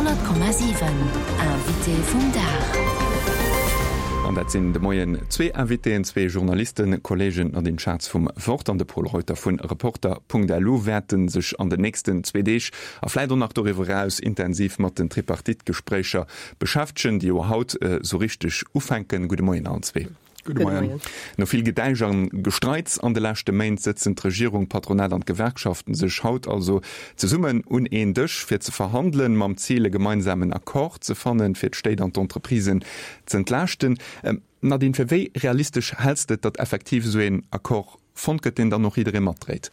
100,7 Invité vum Dag. An dat sinn de Moien zwee Invitéen, zwee Journalisten, Kolleegen Nadine Schatz vum Wort an de Pol Reuter vun Reporter.lu wäerte sech an den nächsten zwee Deeg a vläit och nach doriwwer eraus intensiv mat den Tripartite-Gespréicher beschäftegen, déi jo haut esou richteg ufänken. Gudde Moien allen zwee. Gudde Moien. No vill Gedäisch an Gestreits an de leschte Méint sëtzen d'Regierung, d'Patronat an d'Gewerkschaften sech haut also zesummen un een Dësch fir ze verhandelen, mam Zil e gemeinsamen Accord ze fannen, fir d'Stéit an d'Entreprisen z'entlaaschten. Nadine, fir wéi realistesch häls de et, datt effektiv esou een Accord fonnt gëtt, deen dann och jidderee matdréit?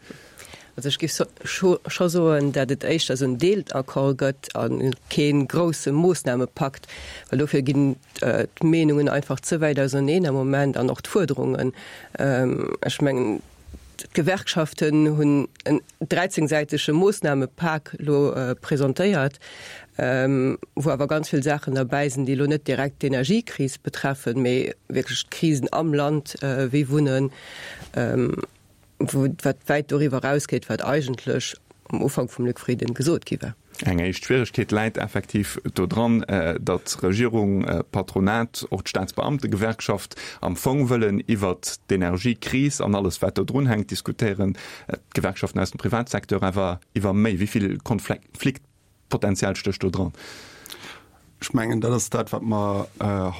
Also ech géif scho soen, dat et éischter esou en Deelaccord gëtt a kee grousse Moossnamepakt, well dofir ginn d'Meenungen einfach ze wäit auserneen am Moment an och d'Fuerderungen. Ech mengen, d'Gewerkschaften hunn en dräizéngsäitege Moossnamepak elo presentéiert, wou awer ganz vill Saachen derbäi sinn, déi elo net direkt d'Energiekris betreffen, mee wierklech d'Krisen am Land, wéi Wunnen, wou wat wäit doriwwer erausgeet, wat eigentlech am Ufank vum Luc Frieden gesot gi war. Eng éischt Schwieregkeet läit effektiv do dran, datt Regierung, Patronat, och d'Staatsbeamtegewerkschaft am Fong wëllen iwwert d'Energiekris an alles wat do drun hänkt diskutéieren, d'Gewerkschaften aus dem Privatsecteur awer iwwer méi. Wéi vill Konflikt Potenzial stécht do dran? Ech mengen, dat ass dat, wat mer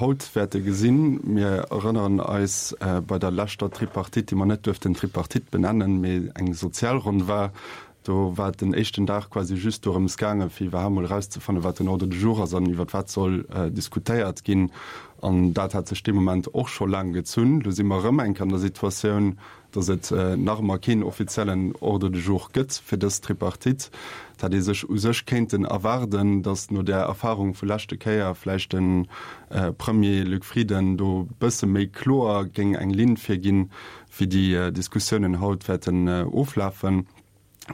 haut wäerte gesinn. Mir erënneren eis bei der leschter Tripartite, déi mer net duerften Tripartite benennen, mee eng Sozialronn war, do war et den éischten Dag quasi just dorëms gaangen, fir iwwerhaapt mol erauszefannen, wat den Ordre du jour ass an iwwert wat soll diskutéiert ginn. An dat hat sech dee Moment och scho laang gezunn. Lo si mer erëm eng Kéier an der Situatioun, dass et nach ëmmer keen offiziellen Ordre du jour gëtt fir dës Tripartite. Et hätt ee sech u sech kéinten erwaarden, dass no där Erfahrung vu leschte Kéier vläicht de Premier Luc Frieden do bësse méi kloer géing eng Linn virginn, wéi déi Diskussiounen haut wäerten oflafen.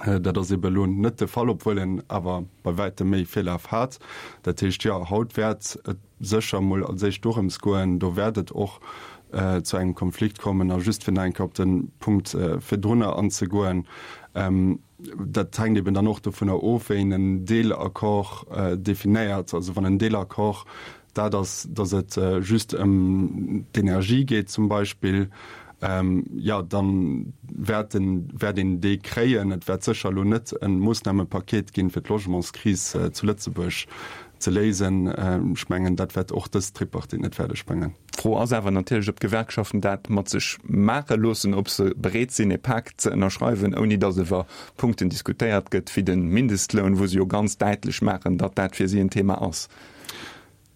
Dat ass ebe elo net de Fall, obwuel en awer bei wäitem méi Virlaf hat. Dat heescht, jo, haut wäert et sécher emol als éischt dorëms goen. Do wäert et och zu engem Konflikt kommen. A just fir nach eng Kéier op de Punkt virdrunner anzegoen, Dat hänkt eben dann och dovunner of, wéi een en Deelaccord definéiert. Also wann en Deelaccord dat ass, datt et just ëm d'Energie geet zum Beispill, jo, da wäert wäert een dee kréien. Et wäert sécher elo net e Moossnamepaket ginn, fir d'Logementskris zu Lëtzebuerg ze léisen. Ech mengen, dat wäert och dës Tripartite net fäerdeg bréngen. D'Fro ass awer natierlech, ob d'Gewerkschaften dat mat sech maache loossen, ob se bereet sinn, e Pak ze ënnerschreiwen, ouni datt iwwer Punkten diskutéiert gëtt wéi de Mindestloun, wou se jo ganz däitlech maachen, datt dat fir si en Thema ass.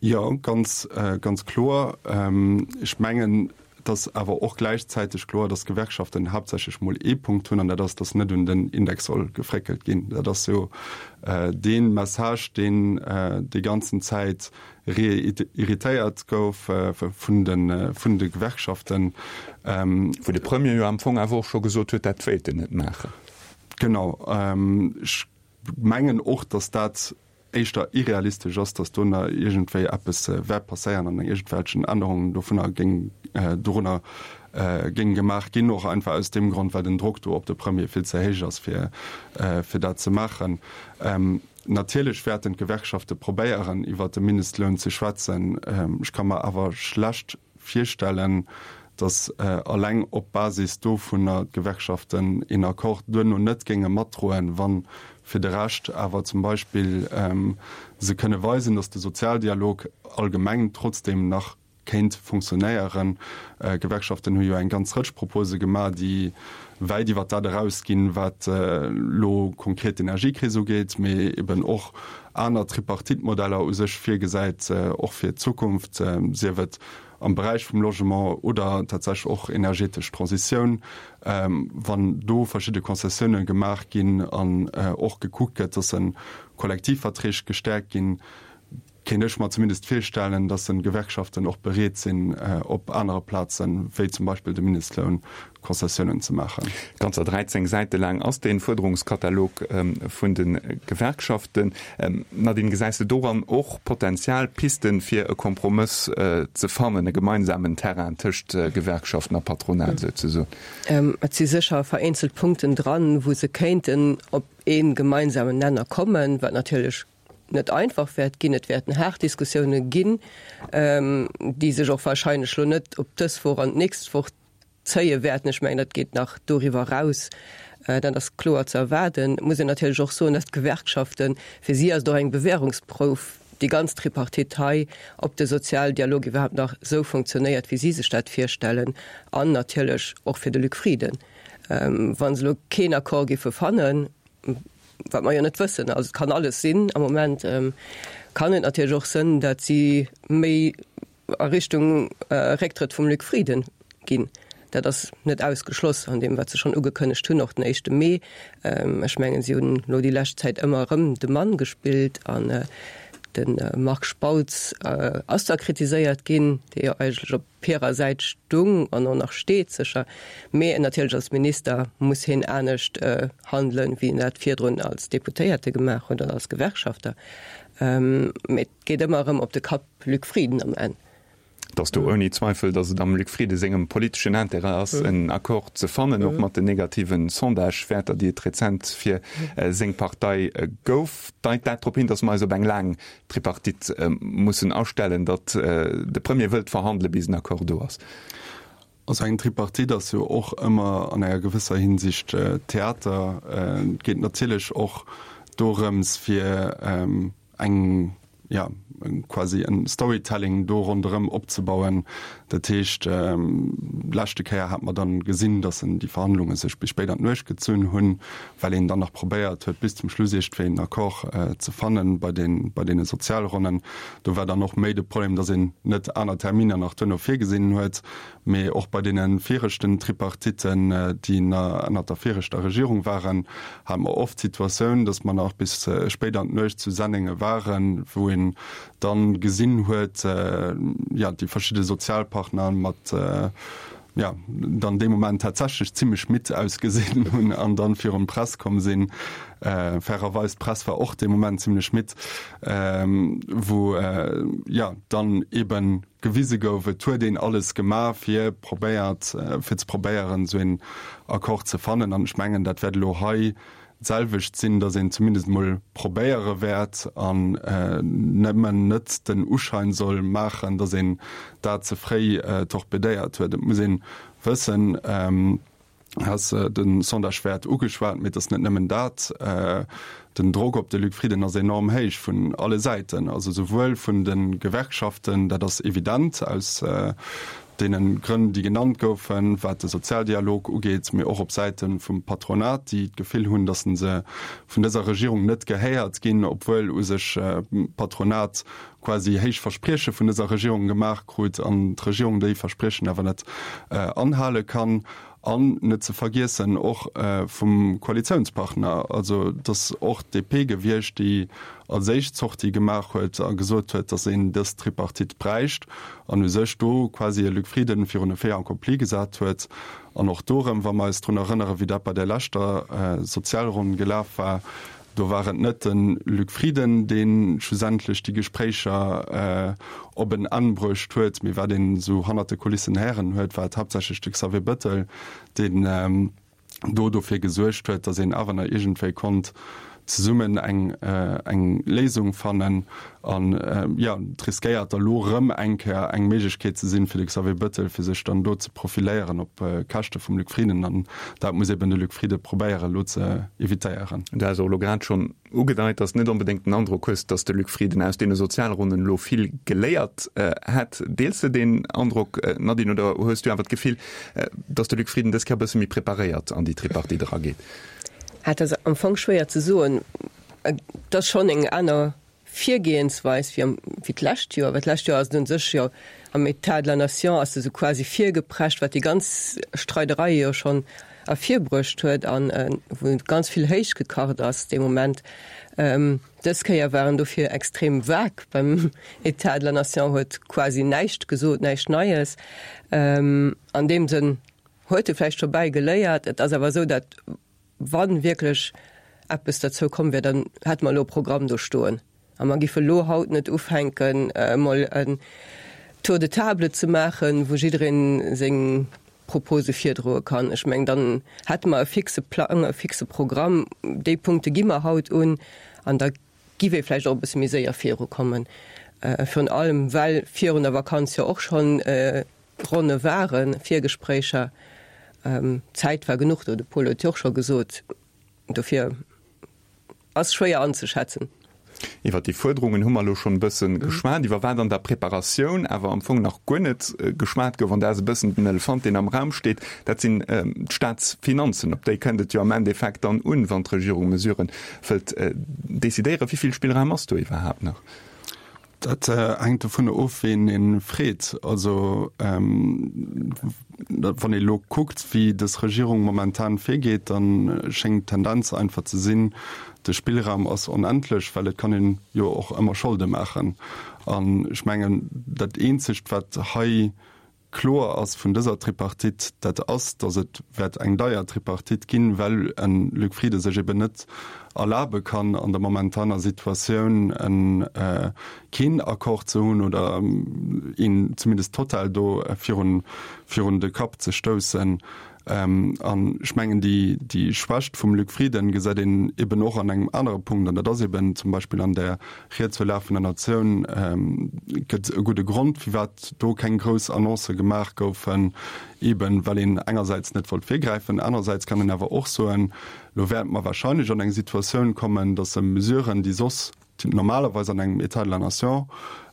Jo, ganz, ganz kloer. Ech mengen, et ass awer och gläichzäiteg kloer, datt d'Gewerkschaften haaptsächlech mol ee Punkt hunn, an dat ass, datt net un den Index soll gefréckelt ginn. Dat ass jo dee Message, deen déi ganzen Zäit reitériert gouf vun de, vun de Gewerkschaften. Wou de Premier jo am Fong awer och scho gesot huet, dat wéilt en net maachen. Genau. Ech mengen och, datt dat éischter irrealistesch ass, datt do nach iergendwéi eppes wäert passéieren an iergendwelchen Ännerungen dovunner géing dorunner géing gemaach ginn, och einfach aus deem Grond, well den Drock do op de Premier vill ze héich ass, fir fir dat ze maachen. Natierlech wäerten d'Gewerkschafte probéieren, iwwert de Mindestloun ze schwätzen. Ech ka mer awer schlecht virstellen, datt alleng op Basis dovunner d'Gewerkschaften een Accord duerno net géinge matdroen, wa fir de Rescht awer zum Beispill se kënne weisen, datt de Sozialdialog allgemeng trotzdeem nach kéint funktionéieren. D'Gewerkschaften hu jo eng ganz Rëtsch Propose gemaach, déi wäit iwwer dat erausginn, wat elo konkret d'Energiekris ugeet, mee eben och aner Tripartite-Modeller u sech virgesäit, och fir d'Zukunft, sief et am Beräich vum Logement oder tatsächlech och energetesch Transitioun. Wann do verschidde Concessioune gemaach ginn an och gekuckt gëtt, dass Kollektivverträg gestäerkt ginn, kéint ech mer zumindest virstellen, dass en Gewerkschaften och bereet sinn, op anere Plazen, wéi zum Beispill de Mindestloun, Konzessiounen ze maachen. Ganzer 13 Säite laang ass dee Fuerderungskatalog vun de Gewerkschaften. Nadine, gesäis de doran och Potenzial, Pisten, fir e Kompromëss ze fannen, e gemeinsamen Terrain tëscht Gewerkschaften a Patronat souzesoen? Et si sécher vereenzelt Punkten dran, wou se kéinten op ee gemeinsamen Nenner kommen, wat natierlech. net einfach wäert ginn. Et wäerten haart Diskussioune ginn, déi sech och wahrscheinlech elo net op dës Woch an d'nächst Woch zéie wäerten. Ech mengen, dat geet nach doriwwer eraus. Dat ass kloer ze erwaarden. Et muss een natierlech och soen, dass d'Gewerkschaften, fir si ass et och eng Bewährungsprouf, déi ganz Tripartite hei, ob de Sozialdialog iwwerhaapt nach esou funktionéiert, wéi si sech dat virstellen, an natierlech och fir de Luc Frieden, wa se elo keen Accord géife fannen, wat mer jo net wëssen, also et kann alles sinn am Moment, kann et natierlech och sënn, datt si méi a Richtung Récktrëtt vum Luc Frieden ginn. Dat ass net ausgeschloss an deem, wat se schonn ugekënnegt hunn, och den éischte Mee. Ech mengen, si hunn elo déi lescht Zäit ëmmer erëm de Mann gespillt an de Marc Spautz ass da kritiséiert ginn, dee jo eigentlech op hirer Säit stung an och nach steet sécher, mee natierlech als Minister muss hien anescht handelen, wéi en dat virdrun als Deputéierte gemaach huet oder als Gewerkschafter. Mee et geet ëmmer erëm op de Kapp Luc Frieden am Enn. Et ass do ouni Zweifel, datt et am Luc Frieden sengem politeschen Intérêt ass, en Accord ze fannen, och mat den negativen Sondagewäerter, déi et rezent fir seng Partei gouf. Deit dat drop hin, datt mer eis op eng laang Tripartite mussen astellen, datt de Premier wëllt verhandele bis en Accord do ass. Also eng Tripartite ass jo och ëmmer an enger gewësser Hinsicht Theater. Et geet natierlech och dorëms fir eng, jo, quasi en Storytelling do ronderëm opzebauen. Dat heescht, leschte Kéier hat mer dann gesinn, datt en déi Verhandlunge sech bis spéit an d'Nuecht gezunn hunn, well een dann nach probéiert huet, bis zum Schluss iergendwéi en Accord ze fannen bei den, bei deene Sozialronnen. Do war dann och méi de Problem, datt een net aner Terminer nach duerno virgesinn huet. Mee och bei deene viregten Tripartitten, déi ënnert der viregter Regierung waren, hate mer oft d'Situatioun, datt mer nach bis spéit an d'Nuecht zu Sennenge waren, wou een dann gesinn huet, jo, déi verschidde Sozialpartner mat, jo, dann dee Moment tatsächlech zimlech midd ausgesinn hunn an dann virun d'Press komm sinn. Fairerweis, d'Press war och dee Moment zimlech midd, wou, jo, dann eben gewise gouf, et huet een alles gemaach, fir probéiert, fir ze probéieren, esou een Accord ze fannen. An ech mengen, dat wäert elo hei d'selwecht sinn, datt een zumindest emol probéiere wäert an nëmmen net den Uschein soll maachen, datt een dat ze fréi torpedéiert huet. Et muss ee wëssen, has de Sondagewäert ugeschwat, mee et ass net nëmmen dat. Den Drock op de Luc Frieden ass enorm héich vun alle Säiten, also souwuel vun de Gewerkschaften, dat ass evident aus deene Grënn, déi genannt goufen, wat de Sozialdialog ugeet, mee och op Säite vum Patronat, déi d'Gefill hunn, datt se vun dëser Regierung net gehéiert ginn, obwuel u sech d'Patronat quasi héich Versprieche vun dëser Regierung gemaach krut an d'Regierung déi Verspriechen awer net anhale kann. An net ze vergiessen och vum Koalitiounspartner, also et ass och d'DP gewiescht, déi als éischt Sortie gemaach huet a gesot huet, datt een dës Tripartite bräicht an u sech do quasi e Luc Frieden virun e Fait accompli gesat huet. An och do erëm, wa mer eis drun erënnere wéi dat bei där leschter Sozialronn gelaf war, Do war et net de Luc Frieden, dee schlussendlech déi Gespréicher op en Enn bruecht huet, mee wat een esou hannert de Kulissen héieren huet, war et haaptsächlech de Xavier Bëttel, deen do dofir gesuergt huet, datt een awer nach iergendwéi konnt zesummen eng eng Léisung fannen. An jo, et riskéiert da lo erëm eng Kéier eng Méiglechkeet ze sinn fir de Xavier Bëttel, fir sech dann do ze profiléieren op Käschte vum Luc Frieden. An dat muss eben de Luc Frieden probéieren elo ze evitéieren. Du has och elo grad schonn ugedeit, dass de net onbedéngt den Androck hues, dass de Luc Frieden aus deene Sozialronnen elo vill geléiert hätt. Deels de deen Androck, Nadine, oder hues du awer d'Gefill, dass de Luc Frieden dës Kéier e bësse méi preparéiert an déi Tripartite erageet? Et ass am Fong schwéier ze soen. Et ass schonn eng aner Virgehensweis wéi am, wéi d'lescht Joer, well d'lescht Joer ass et un sech jo am État de la nation ass se esou quasi virgeprescht, wat déi ganz Streiderei jo schonn ervirbruecht huet an wou ganz vill héichgekacht ass dee Moment. Dës Kéier war en dofir extrem vague beim État de la nation, huet quasi näischt gesot, näischt Neies. An deem Sënn huet e vläicht scho bäigeléiert. Et ass awer esou, datt Wa wierklech eppes derzou komm wär, dann hätte mer elo e Programm do stoen a mer giffe elo haut net ufänken, emol en Tour de table ze maachen, wou jidderee seng Propose virdroe kann. Ech mengen, dann hätte mer e fixe Plang, e fixe Programm, déi Punkte gi mer haut un an da. Giff ee vläicht och e bësse méi séier virukommen. Virun allem well virun der Vakanz jo och schonn Ronne waren, Virgespréicher. Zäit war genuch do, de Paul huet jo och scho gesot. Dofir ass schwéier anzeschätzen. Iwwer déi Fuerderungen hu mer elo schonn e bësse geschwat. Iwwer wat an der Preparatioun awer am Fong nach guer net geschwat gouf, an dat ass e bëssen den Elefant, deen am Raum steet, dat sinn d'Staatsfinanzen. Op déi kënnt et jo am Endeffekt dann un, wann d'Regierung Mesuren wëllt decidéieren. Wéi vill Spillraum ass do iwwerhaapt nach? Dat hänkt dovunner of, ween ee freet. Also wann ee elo kuckt, wéi dës Regierung momentan virgeet, da schéngt d'Tendenz einfach ze sinn, de Spillraum ass onendlech, well et kann een jo och ëmmer Scholde maachen. An ech mengen, dat eenzegt, wat hei Kloer ass vun dëser Tripartite, dat ass, datt et wäert eng deier Tripartite ginn, well e Luc Frieden sech eben net erlabe kann, an der momentaner Situatioun e keen Accord ze hunn oder een zumindest total do virun virun de Kapp ze stoussen. An ech mengen, déi déi Schwächt vum Luc Frieden gesäit een eben och an engem anere Punkt, an dat ass eben zum Beispill an där Ried zur Lag vun der Natioun gëtt e gudde Grond, firwat do keng grouss Annoncë gemaach goufen, eben well een engersäits net wollt virgräifen, anerersäits kann een awer och soen, elo wäerte mer wahrscheinlech an eng Situatioun kommen, datt se Mesuren, déi soss normalerweis an engem État de la nation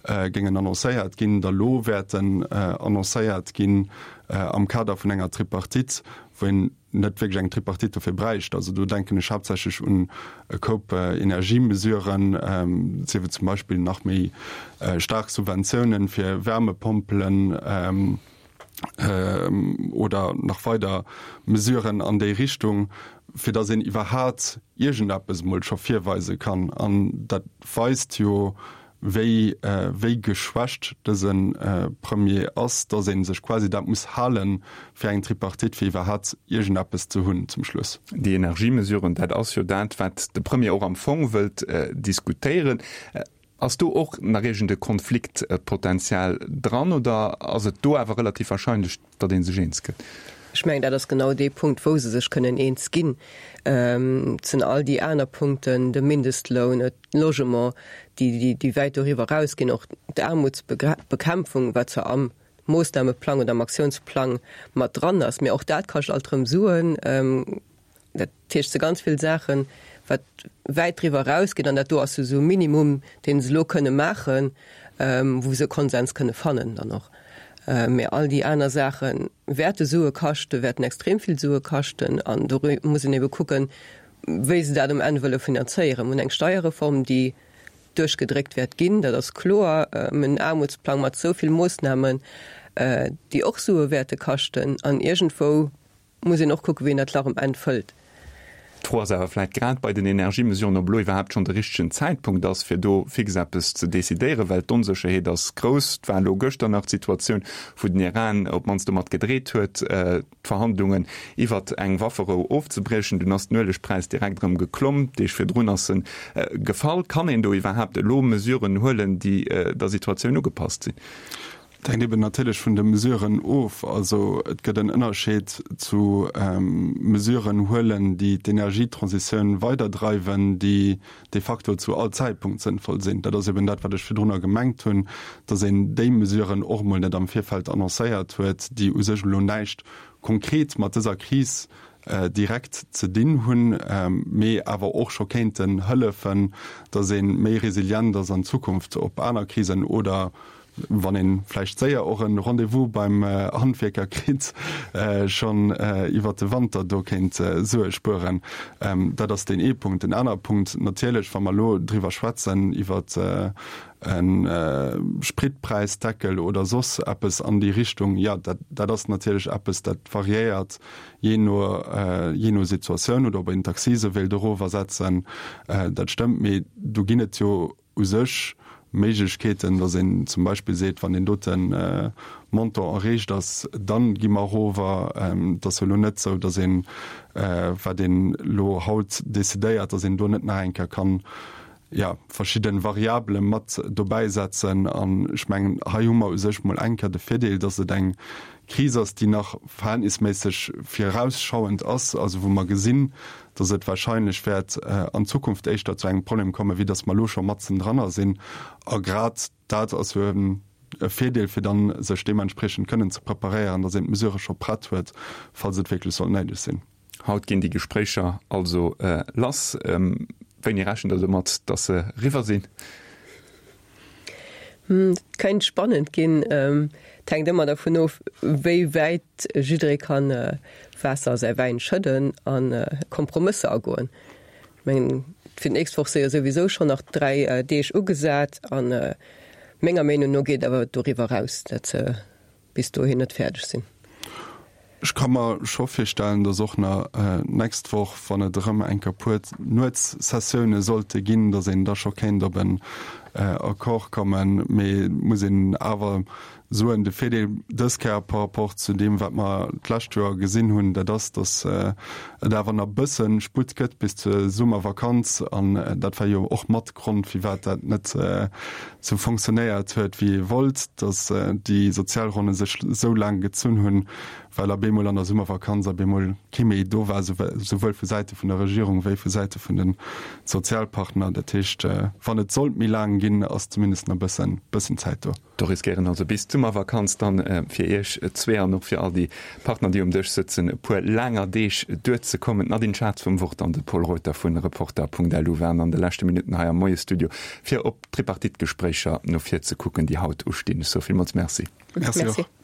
géingen annoncéiert ginn, da lo wäerten annoncéiert ginn am Kader vun enger Tripartite, wou een net wierklech eng Tripartite dofir bräicht. Also do denken ech haaptsächlech un e Koup Energiemesuren, sief et zum Beispill nach méi staark Subventiounen fir Wärmepompelen oder nach weider Mesuren an déi Richtung, fir datt een iwwerhaat iergendeppes emol scho virweise kann. An dat weist jo, wéi wéi geschwächt dëse Premier ass, datt ee sech quasi dat muss hale fir eng Tripartite, fir iwwerhat iergendeppes ze hunn zum Schluss. Déi Energiemesuren, dat ass jo dat, wat de Premier och am Fong wëllt diskutéieren. Ass do och nach iergend e Konfliktpotenzial dran oder ass et do awer relativ wahrscheinlech, datt ee sech eens gëtt? Ech mengen, dat ass genau dee Punkt, wou se sech kënnen eens ginn. Et sinn all déi aner Punkten, de Mindestloun, Logement, déi, déi wäit doriwwer erausginn, och d'Aarmutsbekämpfung, wat zwar am Moossnameplang oder am Aktiounsplang mat dran ass, mä och dat kascht alt erëm Suen. Dat heescht, se ganz vill Saachen, wat wäit driwwer erausgeet, an dat do ass esou e Minimum, deen se elo kënne maachen, wou se e Konsens kënne fannen dann och. Mä all déi aner Saache wäerte Sue kaschten, wäerten extrem vill Sue kaschten, an do muss een ebe kucken, wéi se dat um Enn wëlle finanzéieren. Mir hunn eng Steierreform, déi duerchgedréckt wäert ginn, dat ass kloer. Mir hunn en Aarmutsplang mat esou vill Moossnamen, déi och Sue wäerte kaschten. An iergendwou muss een och kucken, wéi een dat Lach um Enn fëllt. D'Fro ass awer vläicht grad bei den Energiemesuren, ob elo iwwerhaapt schonn de richtegen Zäitpunkt ass, fir do fix eppes ze decidéieren, well d'Onsécherheet ass grouss. Et war elo gëschter nach d'Situatioun, wou den Iran op d'mannst domat gedreet huet, d'Verhandlungen iwwert eng Wafferou ofzebriechen. Dunn ass den Uelegpräis direkt erëm geklomm, Deeg virdrun ass en gefall. Kann een do iwwerhaapt elo Mesuren huelen, déi der Situatioun ugepasst sinn? Et hänkt eben natierlech vun de Mesuren of. Also et gëtt en Ënnerscheed zu Mesuren huelen, déi d'Energietransitioun weiderdreiwen, déi de facto zu all Zäitpunkt sënnvoll sinn. Dat ass eben dat, wat ech virdrunner gemengt hunn, dass een déi Mesuren och emol net am Virfeld annoncéiert huet, déi u sech elo näischt konkret mat dëser Kris direkt ze dinn hunn, mee awer och scho kéinten hëllefen, dass ee méi resilient ass an Zukunft op aner Krisen oder wann een vläicht séier och en Rendez-vous beim Handwierker kritt, schonn iwwert de Wanter do kéint Sue spueren. Dat ass deen ee Punkt. Den anere Punkt natierlech, wa mer elo driwwer schwätzen, iwwert e Spritpräisdeckel oder soss eppes an déi Richtung, jo, dat, dat ass natierlech eppes, dat variéiert jee no, jee no Situatioun oder ob een d'Accise wéilt erofersetzen, dat stëmmt. Mee do ginn et jo u sech Méiglechkeeten, datt een zum Beispill seet, wann deen dote Montant erreecht ass, da gi mer erover. Et ass jo elo net esou, datt een, wat een elo haut decidéiert, datt een do net nach eng Kéier kann. Jo, verschidde Variabele mat dobäi setzen. An ech mengen, hei hu mer u sech mol eng Kéier de Virdeel, dass et eng Kris ass, déi nach verhältnisméisseg virausschauend ass, also wou mer gesinn, dass et wahrscheinlech wäert an Zukunft éischter zu engem Problem kommen, wéi dass mer elo scho matzen dranner sinn. A grad dat ass jo e Virdeel, fir dann sech deementspriechend kënnen ze preparéieren, dass een d'Mesurë scho prett huet, falls et wierklech sollt néideg sinn. Haut ginn déi Gespréicher also lass. Wéini rechent Der domat, datt se eriwwer sinn? Et kéint spannend ginn. Et hänkt ëmmer dervun of, wéi wäit jidderee ka Waasser a säi Wäin schëdden a Kompromësser agoen. Ech mengen, fir d'nächst Woch si jo souwisou schonn nach 3 Deeg ugesat a menger Meenung no geet awer doriwwer eraus, datt se bis dohin net fäerdeg sinn. Ech ka mer scho virstellen, dass och nach d'nächst Woch, wann et erëm eng Kéier puer Nuetssessioune sollte ginn, dass een da scho kéint op en Accord kommen. Mee et muss een awer soen, de Virdeel dës Kéier par rapport zu deem, wat mer d'lescht Joer gesinn hunn, dat ass, dass et awer nach e bësse Sputt gëtt bis zur Summervakanz. An dat war jo och mat Grond, firwat dat net sou fonctionnéiert huet, wéi ee wollt, dass déi Sozialronne sech esou laang gezunn hunn, well op eemol an der Summervakanz op eemol kee méi do war, souwuel vu Säite vun der Regierung wéi vu Säite vun de Sozialpartner. Dat heescht, wann et sollt méi laang ginn, ass zumindest nach e bëssen Zäit do. Do riskéieren also bis d'Summervakanz dann fir Iech zwee an och fir all déi Partner, déi um Dësch sëtzen, e puer laanger Deeg duerzekommen. D'Nadine Schatz vum Wort an de Pol Reuter vu Reporter.lu waren an de leschte Minutten hei am Moiesstudio, fir op d'Tripartite-Gespréicher no vir ze kucken, déi haut ustinn. Ech soe villmools Merci. Merci och.